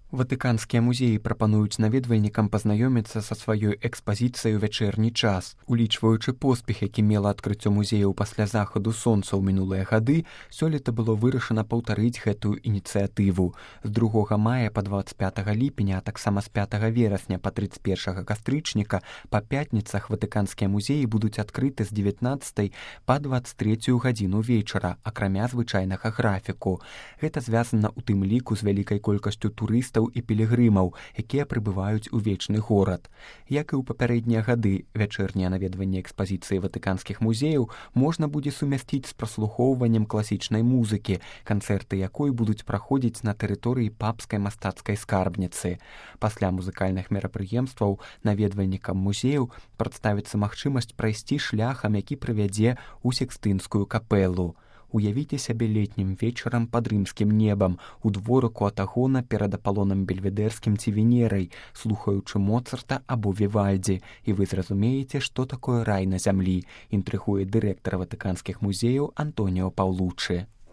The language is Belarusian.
Ватыканскія музеі прапануюць наведвальнікам пазнаёміцца са сваёй экспазіцыяй у вячэрні час. Улічваючы поспех, які мела адкрыццё музеяў пасля захаду сонца ў минулыя гады, сёлета было вырашана паўтарыць гэтую ініцыятыву. З 2 мая па 25 ліпеня, а таксама з 5 верасня па 31 кастрычніка па пятніцах ватыканскія музеі будуць адкрыты з 19 па 23 гадзіну вечара, акрамя звычайнага графіку. Гэта звязана ў тым ліку з вялікай колькасцю турыстаў і пілігрымаў, якія прыбываюць у вечны горад. Як і ў папярэднія гады, вячэрнія наведванні экспазіцыі ватыканскіх музеяў можна будзе сумясціць з праслухоўваннем класічнай музыкі, канцэрты якой будуць праходзіць на тэрыторыі папскай мастацкай скарбніцы. Пасля музыкальных мерапрыемстваў наведвальнікам музеяў прадставіцца магчымасць прайсці шляхам, які прывядзе ў Сікстынскую капэлу. Уявіце сябе летнім вечарам пад рымскім небам, у дворыку Атагона перад Апалонам Бельведэрскім ці Венерай, слухаючы Моцарта або Вівальдзі, і вы зразумееце, што такое рай на зямлі, інтрыгуе дырэктар ватыканскіх музеяў Антоніо Паўлуччы.